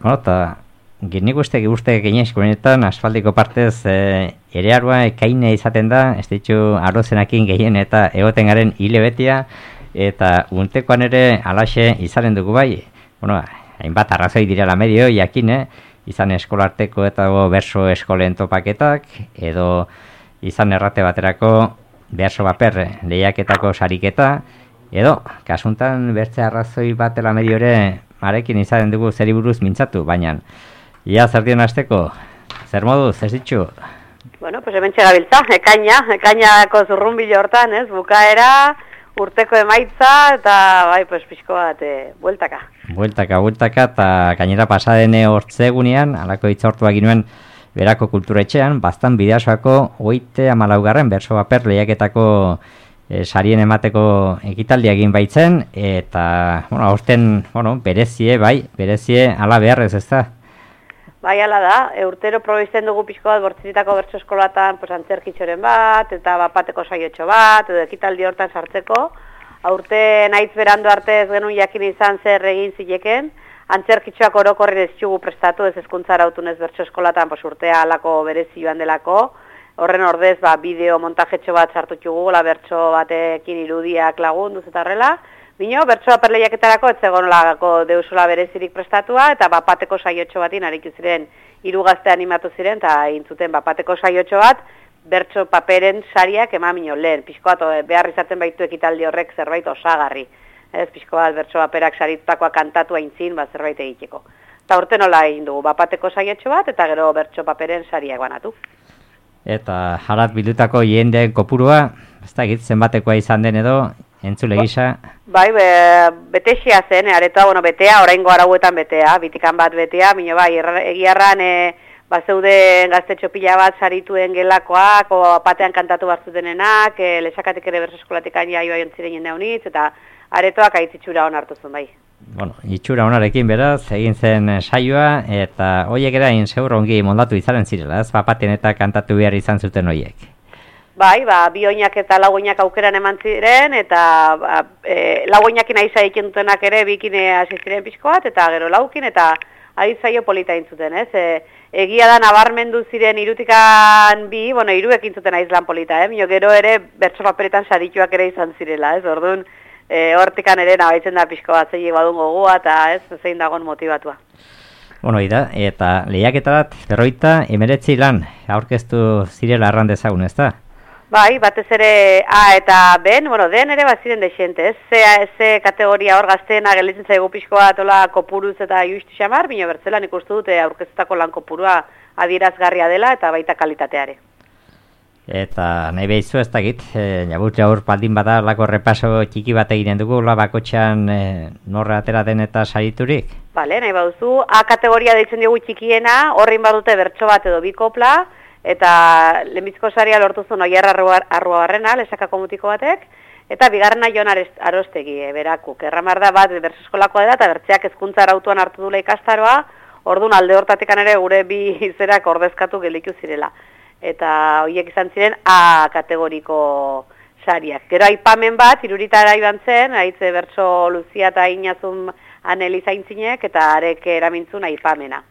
Eta nik uste gehienetan asfaldiko partez ere arua ekaine izaten da, ez ditu arozenakin gehien eta egoten garen hile betia, eta untekoan ere alaxe izanen dugu bai, hainbat arrazoi direla medio, jakine, izan eskolarteko eta berso eskolen topaketak, edo izan errate baterako berso baper lehiaketako sariketa, edo, kasuntan bertze arrazoi batela medio ere marekin izanen dugu zeri buruz mintzatu, baina ia zer dion hasteko, zer moduz, ez ditu? Bueno, pues hemen txegabiltza, ekainako zurrunbilo hortan, ez, bukaera, urteko emaitza, eta bai, pues pixko bat, bueltaka. Bueltaka, eta gainera pasadene hortzegunean, alako itzortuak ginuen berako kulturetxean, bastan bidasoako 34. berso baper lehiaketako sarien emateko ekitaldia egin baitzen, eta, aurten, berezie ala beharrez ez da. Bai, ala da, urtero probizten dugu pixko bat bortziritako bertso eskolatan antzerkitxoren bat, eta bapateko saiotxo bat, edo ekitaldi hortan sartzeko. Aurten aitz berandu arte ez genuen jakin izan zer egin zileken, antzerkitxoak orokorren ez txugu prestatu, ez hezkuntzara autunez bertso eskolatan urtea alako berezi joan delako. Horren ordez, bideo montajetxo bat sartu txugu, bertso batekin irudiak lagunduz eta horrela. Bino, bertsoa perleiaketarako ez zegoenolako deusola berezirik prestatua, eta bapateko saiotxo batin aritu ziren, 3 gazte animatu ziren, eta intzuten bapateko saiotxo bat, bertso paperen sariak emamino lehen. Pixko bat behar izaten baitu ekitaldi horrek zerbait osagarri. Ez, pixko bat bertso paperak saritutakoa kantatu aintzin, zerbait egiteko. Eta urte nola egin dugu, bapateko saiotxo bat, eta gero bertso paperen sariak banatu. Eta harat bildutako jendeen kopurua, ez da egitzen batekoa izan den edo, entzule gisa? Bai, betexia zen, aretoa, betea, oraingo arauetan betea, bitikan bat betea, mino bai, egiarran zeuden gaztetxo pila bat sarituen gelakoak, patean kantatu batzutenenak, lesakatik ere berso eskolatik jaioa jontziren jende honitz, eta aretoak aitzitxura hon hartu zuen bai. Itxura honarekin beraz, egin zen saioa, eta hoiek erain zeur ongi mondatu izaren zirela, ez papaten eta kantatu behar izan zuten hoiek. Bai, bi oinak eta lau oinak aukeran eman ziren, eta lau oinakin aiza egin dutenak ere bikin hasi ziren pixko bat, eta gero laukin, eta adizaio polita intzuten, ez? Egia da nabarmendu ziren irutikan bi, hiruekin zuten aizlan polita, gero ere bertso paperetan sarituak ere izan zirela, ez? Orduan, hortikan ere nabaitzen da pixko bat zeiek badun gogua, eta ez, zein dagoen motibatua. Eta lehiaketarat 59 lan aurkeztu zirela arran dezagun, ez da? Bai, batez ere A eta B, den ere baziren dexente, ez? Ze kategoria hor gazteena gelitzen zaigu pixko bat kopuruz eta juistu xamar, bino bertzelan ikustu dute aurkeztutako lan kopurua adierazgarria dela eta baita kalitateare. Eta nahi behizu ez dakit, jabut jaur paldin bada lako repaso txiki bat eginen dugu, bakotxean norra atera den eta sariturik? Bale, nahi baduzu, A kategoria deitzen dugu txikiena, horrein badute bertso bat edo bikopla, eta lehenbiziko saria lortu zuen Oier Arruabarrena, lesakako mutiko batek, eta bigarrena Jon Arostegi, berakuk. Erramar da bat berso eskolakoa dela, eta bertzeak hezkuntza arautuan hartu dula ikastaroa, orduan alde hortatekan ere gure bi izerak ordezkatu geliku zirela. Eta horiek izan ziren A kategoriko sariak. Gero aipamen bat, iruritara iban zen, haitze bertso Luzia eta Inazun Aneliza intzinek, eta arek eramintzun aipamena.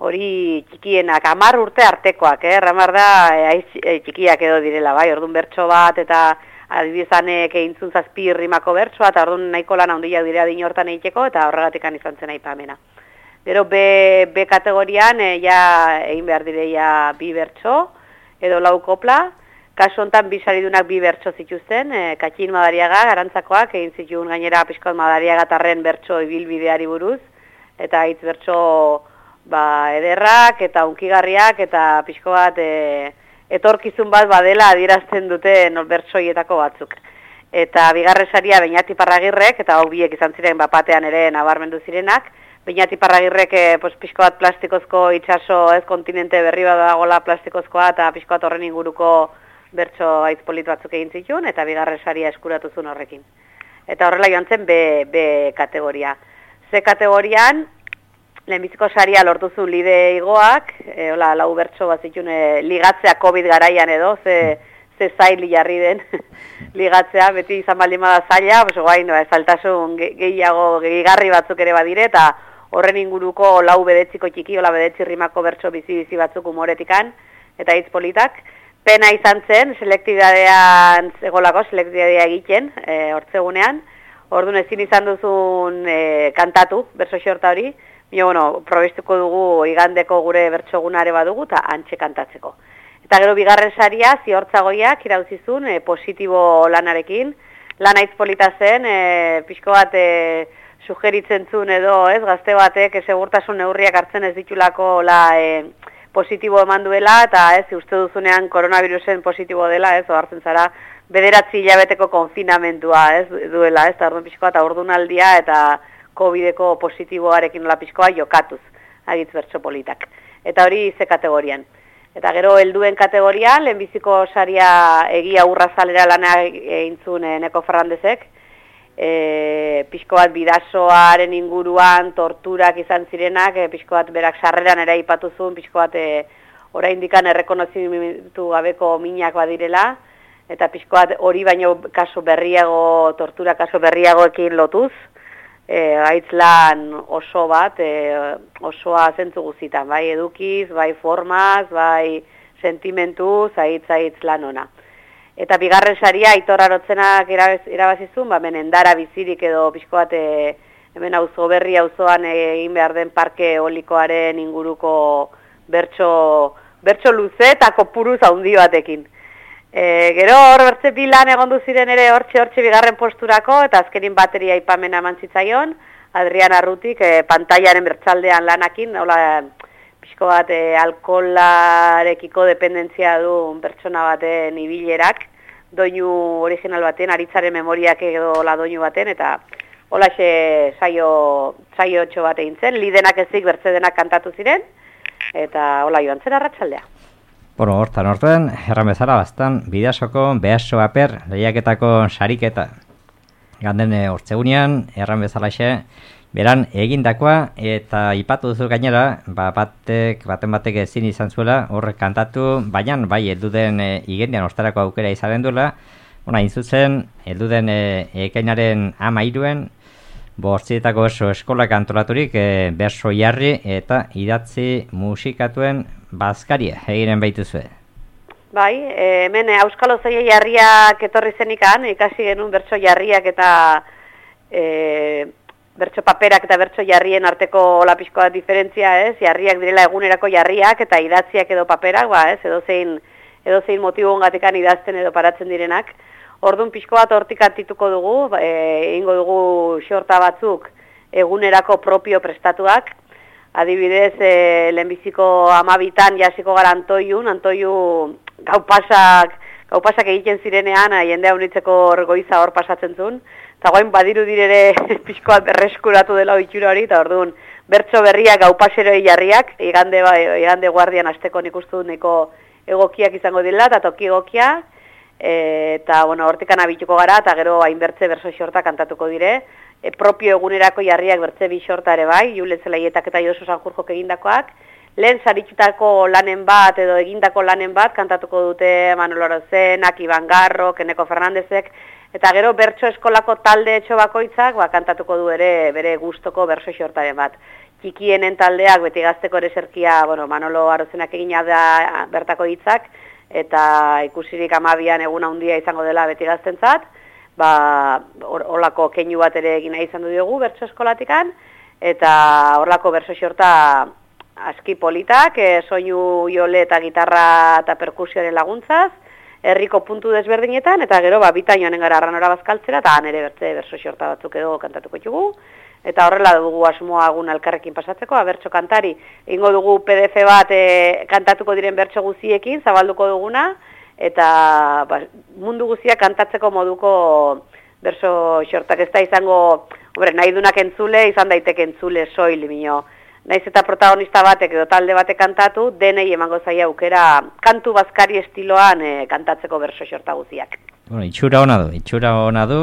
Hori txikienak, 10 urte artekoak, ramar da txikiak edo direla, bai, orduan bertso bat, eta adibizanek eintzun 7 rimako bertsoa, eta orduan nahiko lan handiak dira din hortan egiteko, eta horregatik izan zen aipamena. Gero B kategorian, egin behar direia 2 bertso, edo 4 kopla, kasu honetan 2 saridunak 2 bertso zituzten, Katxin Madariaga, garantzakoak, egin zituen gainera pixkot Madariaga tarren bertso ibilbideari buruz, eta hitz bertso ederrak eta unkigarriak eta pixko bat etorkizun bat badela adierazten dute bertsoietako batzuk. Eta bigarren saria Beñati Parragirrek, eta hau biek izan ziren bapatean ere nabarmendu zirenak, Beñati Parragirrek pixko bat plastikozko itxaso ez kontinente berri bat dagoela plastikozkoa eta pixko bat horren inguruko bertso aitz polit batzuk egin zituen, eta bigarren saria eskuratu zuen horrekin. Eta horrela joan zen B kategoria. C kategorian, lehenbiziko saria lortu zuen Lide Igoak, 4 bertso bat zituen ligatzea COVID garaian edo, ze zail jarri den ligatzea, beti izan baldin bada zaila, guain, zailtasun gehiago gehigarri batzuk ere badire, eta horren inguruko lau bedetziko txiki, ola bedetzi rimako bertso bizi batzuk humoretikan, eta hitz politak. Pena izan zen, selektibidadean zegolako, selektibidadea egiten, hortzegunean. Orduan ezin izan duzun kantatu, bertso xorta hori, bueno, probestuko dugu igandeko gure bertsogunare badugu, eta antxe kantatzeko. Eta gero bigarren saria, ziortzagoiak irauzizun, positibo lanarekin. Lana hitz polita zen, pixko bat sugeritzen zuen edo, ez, gazte batek segurtasun neurriak hartzen ez ditulako positibo eman duela, eta ez, uste duzunean koronavirusen positibo dela, ez, ohartzen zara, 9 hilabeteko konfinamentua, ez, duela, ez, eta orduan pixkoa, eta ordunaldia, eta COVID-eko positiboarekin nola pixkoa jokatuz, agitz bertso politak. Eta hori ze kategorian. Eta gero helduen kategorian, lehenbiziko saria egia urrazalera lana eintzun Neko Ferrandezek, pixko bat bidasoaren inguruan torturak izan zirenak, pixko bat berak sarreran ere aipatuzun, pixko bat oraindikan errekonozimentu gabeko minak badirela, eta pixko bat hori baino kaso berriago, tortura kaso berriagoekin lotuz, aitzlan oso bat, osoa zentzu guzitan, bai edukiz, bai formaz, bai sentimentuz, aitz lan ona. Eta bigarren saria Aitor Arotzenak irabazizun, hemen endara bizirik edo pixko bat hemen auzo berri auzoan egin behar den parke eolikoaren inguruko bertso luze eta kopuruz handi batekin. Gero hor bertze bilan egondu ziren ere hortxe bigarren posturako, eta azkenin bateria aipamena eman zitzaion, Adrian Arrutik pantailaren bertsaldean lanakin, hola pixko bat alkolarekiko dependentzia du pertsona baten ibilerak, doinu original baten, aritzaren memoriak edo la doinu baten, eta holaxe saio txo bat egin zen, lidenak ezik bertze denak kantatu ziren, eta hola joan zen arratsaldea. Bueno, hortan, erran bezala bastan, Bidasoko behaso aper lehiaketako sariketa. Ganden hortzegunean, erran bezalaxe, beran egindakoa, eta ipatu duzu gainera, baten batek ezin izan zuela, horrek kantatu, baina bai elduden igendian ostarako aukera izaren duela, hain zuzen, elduden ekainaren 13 bortzietako berso eskolak antolaturik berso jarri eta idatzi musikatuen bazkaria eginen baituzue. Bai, hemen Euskal Ozoia jarriak etorri zenikan, ikasi genuen bertso jarriak eta bertso paperak eta bertso jarrien arteko lapiskoa diferentzia, ez? Jarriak direla egunerako jarriak eta idatziak edo paperak, ez? Edozein motiboengatikan idazten edo paratzen direnak. Orduan pixko bat hortik antituko dugu, egingo dugu xorta batzuk egunerako propio prestatuak. Adibidez, lehenbiziko 12 jasiko gara Antoiu gaupasak egiten zirenean, jendea unitzeko goiza hor pasatzen zuen. Eta guain badiru direre pixko bat berreskuratu dela oitxura hori, eta orduan bertso berriak gaupaseroi jarriak, igande guardian asteko nik uste dut neko egokiak izango dela, eta toki egokiak. Eta, hortikan abituko gara, eta gero hainbertze berso xorta kantatuko dire. Propio egunerako jarriak bertze bi xorta ere bai, Julen Zelaietak eta Josu Sanjurjok egindakoak. Lehen saritutako lanen bat edo egindako lanen bat kantatuko dute Manolo Arozenak, Iban Garro, Neko Fernandezek, eta gero bertso eskolako talde etxo bakoitzak kantatuko du ere bere gustoko berso xortaren bat. Txikienen taldeak beti gazteko ere zerkia, Manolo Arozenak egina da bertako hitzak, eta ikusirik 12an egun handia izango dela beti gaztentzat, horlako keinu bat ere egina izan du diogu bertso eskolatikan, eta horlako berso xorta aski politak, soinu jole eta gitarra eta perkusioaren laguntzaz, herriko puntu desberdinetan, eta gero bitan joanen gara Arranora bazkaltzera, eta han ere berso xorta batzuk edo kantatuko txugu, eta horrela dugu asmoa egun elkarrekin pasatzeko, bertso kantari, ingo dugu PDF bat kantatuko diren bertso guziekin, zabalduko duguna, eta mundu guzia kantatzeko moduko berso xortak ez da izango, nahi dunak entzule, izan daiteke entzule soil, naiz eta protagonista batek edo talde batek kantatu, denei emango zaia aukera kantu bazkari estiloan kantatzeko berso xorta guziak. Itxura ona du,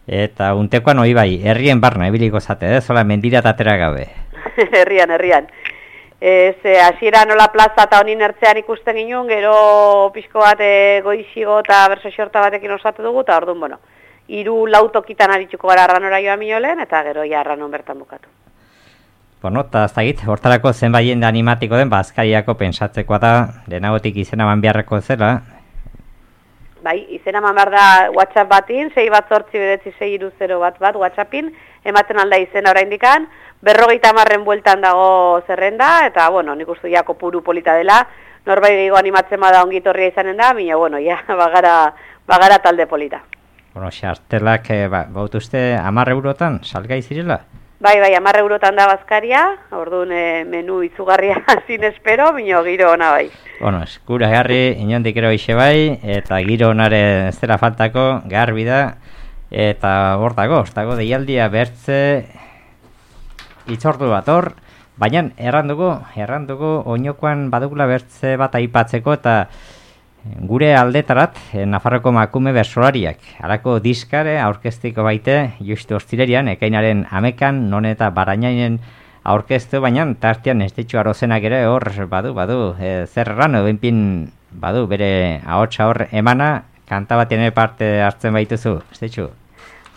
eta untekoan hori bai, herrien barna ebiliko zate, zola mendira tatera gabe. Herrian. Hasiera nola plaza eta honin ertzean ikusten ginen, gero pixko bat goixigo eta berso xorta batekin osatu dugu, eta orduan, 3-4 tokitan aritzuko gara Arranora joan minolen, eta gero Arranon bertan bukatu. Bueno, eta ez dakit, hortarako zenbait jende animatiko den, Azkariako pensatzekoa da, denagotik izena eman beharreko zela. Bai, izena eman behar da WhatsApp batin, 6-8-9-6-0 bat WhatsAppin, ematen alda izena oraindikan, 50 bueltan dago zerrenda, eta, bueno, nik uste ja kopuru polita dela, norbait gehiago animatzen bada ongitorria izanen da, baina, bueno, ja, bagara talde polita. Bueno, xartelak, baut uste, 10 eurotan, salgai zirela? Bai, 10 eurotan da Bazkaria, orduan menu izugarria zin espero, baina giro ona bai. Bueno, eskuragarri, inondik ero ixe bai, eta giro onare ez dela faltako, garbi da, eta hor dago, deialdia bertze itzordu bat hor, baina errandugu, oinokoan badugula bertze bat aipatzeko, eta gure aldetarat, Nafarroko makume bersolariak, harako diskare aurkeztiko baite, justu ostirerian, ekainaren 11an, non eta Barainainen aurkeztu, baina tartean ez ditxu arozenak ere hor badu, zer erran, benpin badu, bere ahotsa hor emana, kanta batean ere parte hartzen baituzu, ez ditxu?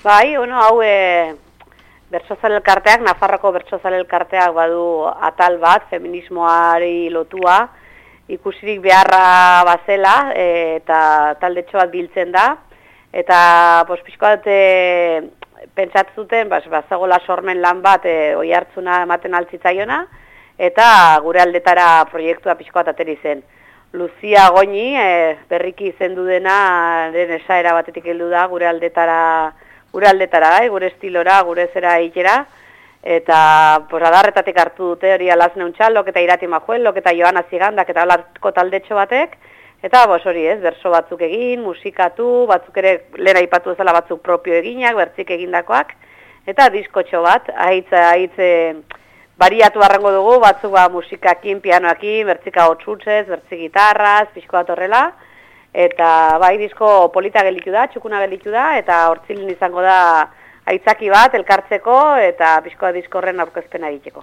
Bai, hau bertsozale elkarteak, Nafarroko bertsozale elkarteak badu atal bat, feminismoari lotua, ikusirik beharra bazela, eta taldetxo bat biltzen da, eta pixko bat pentsatzuten, bazagola sormen lan bat oi hartzuna ematen altzitzaiona, eta gure aldetara proiektua pixko bat ateri zen. Lucia Goñi, berriki izendu dena, den esaera batetik heldu da, gure aldetara, gure estilora, gure zera ikera, eta adarretatik hartu dute hori Alazne Untxalok eta Irati Majuelok eta Joana Zigandak eta holarko taldetxo batek, eta hori berso batzuk egin, musikatu, batzuk ere lehen aipatu ezala batzuk propio eginak, bertzik egindakoak, eta diskotxo bat, ahitz bariatu arrango dugu, batzuk musikakin, pianoakin, bertzika hotxutzez, bertzik gitarraz, pixko bat horrela, eta bai disko polita gelitu da, txukuna gelitu da, eta hortzilin izango da aitzaki bat, elkartzeko, eta pixkoa diskorren aurkezpena egiteko.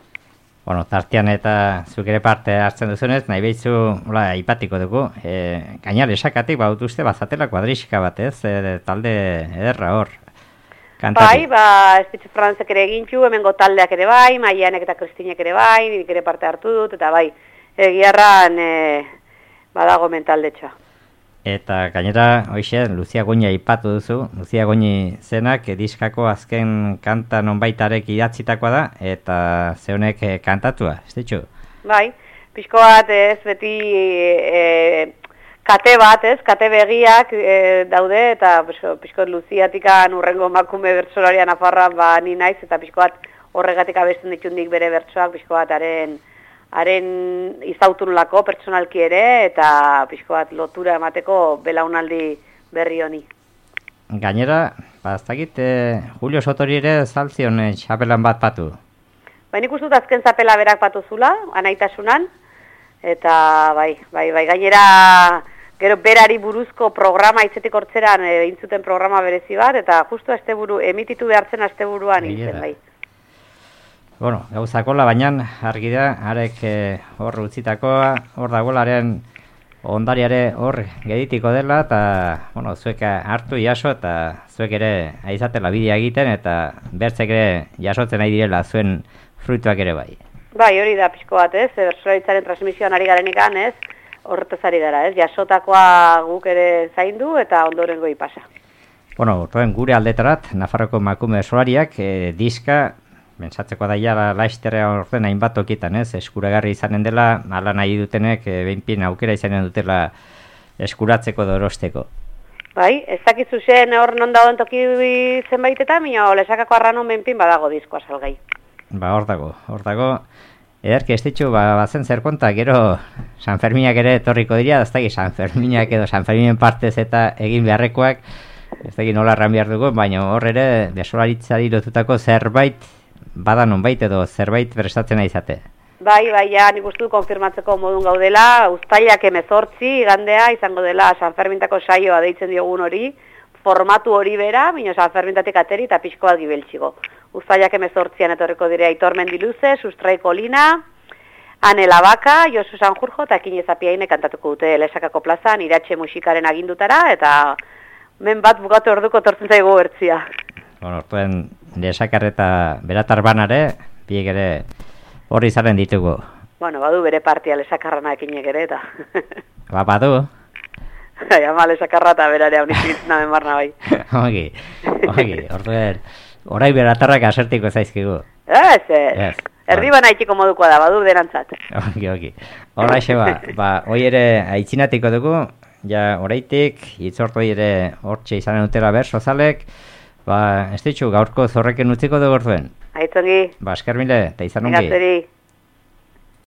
Bueno, tartean eta zuk ere parte hartzen duzunez, nahi behitzu aipatiko dugu. Gainal esakatik baut uste bazatela kuadrixika bat, ez? Talde ederra hor. Kantari. Bai, Espitzu Frantzek ere egintxu, hemengo taldeak ere bai, Maianek eta Kristinek ere bai, nik ere parte hartu dut, eta bai, egiarran badago mentaldetxoa. Eta gainera, hoxe, Lucia Goñi aipatu duzu, Lucia Goñi zenak diskako azken kanta nonbaitarek idatzitakoa da, eta zeunek kantatua, ez ditxu? Bai, pixko bat ez, beti kate bat ez, kate begiak daude, eta pixko Luciatikan urrengo makume bertsolaria Nafarroan ni naiz, eta pixko bat horregatik abesten ditundik bere bertsoak, pixko bat haren izautunulako pertsonalki ere, eta pixko bat lotura emateko belaunaldi berri honi. Gainera, ez Julio Sotori ere zaltzion txapelan bat patu. Baina ikustut azken zapela berak patuzula, anaitasunan, eta bai, gainera gero berari buruzko programa itzetik hortzeran intzuten programa berezi bat, eta justu emititu behartzen asteburuan intzen bai. Bueno, gauzakola, baina argi da, arek hor utzitakoa, hor dagolaren ondariare hor geditiko dela, eta, bueno, zuek hartu jaso, eta zuek ere aizatela bidea egiten, eta bertzek ere jasotzen nahi direla zuen fruituak ere bai. Bai, hori da pixko bat, ez, bersolaritzaren transmisioan ari garenikan, ez, horretaz ari gara, ez, jasotakoa guk ere zaindu, eta ondorengo ipasa. Bueno, gure aldetarat, Nafarroko makume bersolariak diska, Bentsatzeko da ja laizterra orden hainbat tokitan, ez? Eskuragarri izanen dela, ala nahi dutenek, behinpin aukera izanen dutela eskuratzeko dorosteko. Bai, ez dakizu zen hor non dagoen toki zenbaitetan, minio lesakako arranon behinpin badago diskoa salgai. Hor dago. Ederki ez ditxu, bazen zer konta, gero San Ferminak ere etorriko dira, ez dakit San Ferminak edo San Ferminen partez eta egin beharrekoak, ez dakit nola erran behar dugu, baina hor ere desolaritzari lotutako zerbait bada nonbait edo zerbait prestatzen izate. Bai, ja, nik uste du konfirmatzeko modun gaudela, uztailak 18 igandea izango dela San Fermintako saioa deitzen diogun hori, formatu hori bera, bino San Fermintatik ateri eta pixko bat gibeltxigo. Uztailak 18an etorriko dire Aitor Mendiluze, Sustraiko Lina, Ane Labaka, Josu Sanjurjo eta Kine Zapiaine kantatuko dute Lesakako plazan, Iratxe musikaren agindutara, eta men bat bukatu orduko tortzen zaigu bertzia. Bueno, ortuen Lesakar eta Beratar banare, biek ere hori zaren ditugu. Bueno, badu bere partia lesakarrana ekinek ere, eta... Badu? Ama lesakarra eta berare hau nizitzen namen barna bai. Ogi, orduen, orai beratarrak asertiko zaizkigu. Ez. Erdi bana itxiko modukoa da, badu denantzat. Ogi. Horra ba, hoi ere aitzinatiko dugu, ja oraitik, itzortu ere hortxe izanen utela ber, sozalek, ba, ez ditxu, gaurko zorreken utziko dugu orduen. Aitzongi. Ba, esker mile, eta izan ongi. Negazeri.